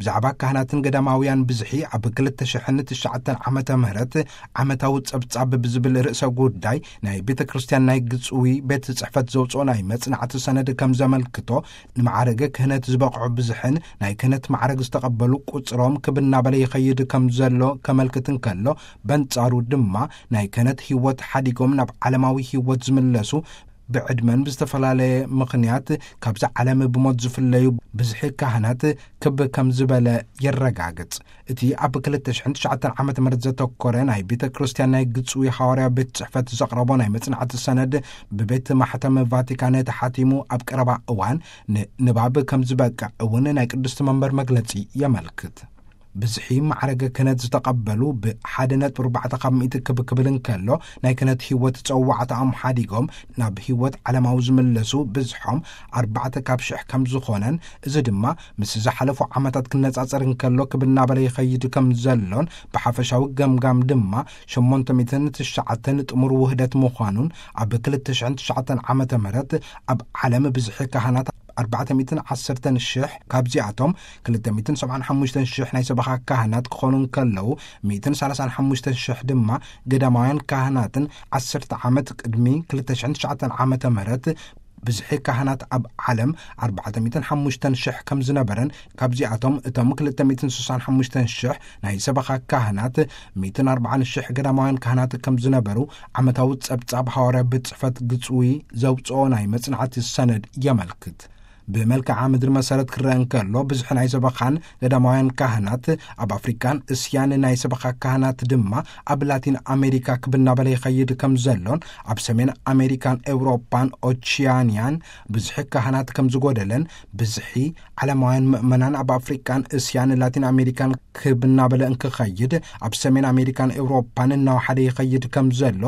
ብዛዕባ ካህናትን ገዳማውያን ብዝሒ ኣብ ክልተ ሽሕን ትሽዓተን ዓመተ ምህረት ዓመታዊ ጸብጻብ ብዝብል ርእሰ ጉዳይ ናይ ቤተ ክርስቲያን ናይ ግጽዊ ቤት ጽሕፈት ዘውጽኦ ናይ መጽናዕቲ ሰነድ ከም ዘመልክቶ፣ ንማዕረገ ክህነት ዝበቕዑ ብዝሕን ናይ ክህነት ማዕረግ ዝተቐበሉ ቁጽሮም ክብ እናበለ ይኸይድ ከም ዘሎ ከመልክት እንከሎ፣ በንጻሩ ድማ ናይ ክህነት ህይወት ሓዲጎም ናብ ዓለማዊ ህይወት ዝምለሱ ብዕድመን ብዝተፈላለየ ምኽንያት ካብዛ ዓለም ብሞት ዝፍለዩ ብዝሒ ካህናት ክብ ከም ዝበለ የረጋግጽ። እቲ ኣብ ክልተ ሽሕን ትሽዓተን ዓመተ ምህረት ዘተኮረ ናይ ቤተ ክርስቲያን ናይ ግጽዊ ሃዋርያ ቤት ጽሕፈት ዘቕረቦ ናይ መጽናዕቲ ሰነድ ብቤት ማሕተም ቫቲካን ተሓቲሙ ኣብ ቀረባ እዋን ንንባብ ከም ዝበቅዕ እውን ናይ ቅድስቲ መንበር መግለጺ የመልክት። ብዝሒ ማዕረገ ክህነት ዝተቐበሉ ብ ሓደ ነጥቢ ኣርባዕተ ካብ ሚእቲ ክብ ክብል እንከሎ፣ ናይ ክህነት ህይወት ጸዋዕታኦም ሓዲጎም ናብ ህይወት ዓለማዊ ዝምለሱ ብዝሖም ኣርባዕተ ካብ ሽሕ ከም ዝኾነን፣ እዚ ድማ ምስ ዝሓለፉ ዓመታት ክነጻጸር እንከሎ ክብ እናበለ ይኸይድ ከም ዘሎን፣ ብሓፈሻዊ ገምጋም ድማ ሸሞንተ ሚእትን ትሽዓተን ጥሙር ውህደት ምዃኑን፣ ኣብ ክልተ ሽሕን ትሽዓተን ዓመተ ምህረት ኣብ ዓለም ብዝሒ ካህናት ኣርባዕተ ሚእትን ዓሰርተን ሽሕ፣ ካብዚኣቶም ክልተ ሚእትን ሰብዓን ሓሙሽተን ሽሕ ናይ ሰበኻ ካህናት ክኾኑ እንከለዉ፣ ሚእትን ሰላሳን ሓሙሽተን ሽሕ ድማ ገዳማውያን ካህናትን፣ ዓሰርተ ዓመት ቅድሚ ክልተ ሽሕን ትሽዓተን ዓመተ ምህረት ብዝሒ ካህናት ኣብ ዓለም ኣርባዕተ ሚእትን ሓሙሽተን ሽሕ ከም ዝነበረን፣ ካብዚኣቶም እቶም ክልተ ሚእትን ስሳን ሓሙሽተን ሽሕ ናይ ሰበኻ ካህናት፣ ሚእትን ኣርባዓን ሽሕ ገዳማውያን ካህናት ከም ዝነበሩ ዓመታዊ ጸብጻብ ሃዋርያ ቤት ጽሕፈት ግጽዊ ዘውጽኦ ናይ መጽናዕቲ ሰነድ የመልክት። ብመልክዓ ምድሪ መሰረት ክረአ እንከሎ፣ ብዝሒ ናይ ሰበኻን ገዳማውያን ካህናት ኣብ ኣፍሪቃን እስያን፣ ናይ ሰበኻ ካህናት ድማ ኣብ ላቲን ኣሜሪካ ክብ እናበለ ይኸይድ ከም ዘሎን፣ ኣብ ሰሜን ኣሜሪካን ኤውሮጳን ኦቺያንያን ብዝሒ ካህናት ከም ዝጎደለን፣ ብዝሒ ዓለማውያን ምእመናን ኣብ ኣፍሪቃን እስያን ላቲን ኣሜሪካን ክብ እናበለ እንክኸይድ፣ ኣብ ሰሜን ኣሜሪካን ኤውሮጳን እናወሓደ ይኸይድ ከም ዘሎ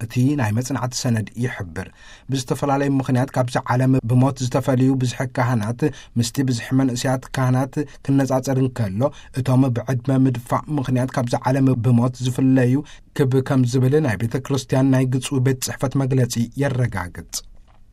እቲ ናይ መጽናዕቲ ሰነድ ይሕብር። ብዝተፈላለዩ ምኽንያት ካብዚ ዓለም ብሞት ዝተፈልዩ ብዝሒ ካህናት ምስቲ ብዝሒ መንእሰያት ካህናት ክነጻጸር እንከሎ፣ እቶም ብዕድመ ምድፋእ ምኽንያት ካብዚ ዓለም ብሞት ዝፍለዩ ክብ ከም ዝብል ናይ ቤተ ክርስቲያን ናይ ግጹ ቤት ጽሕፈት መግለጺ የረጋግጽ።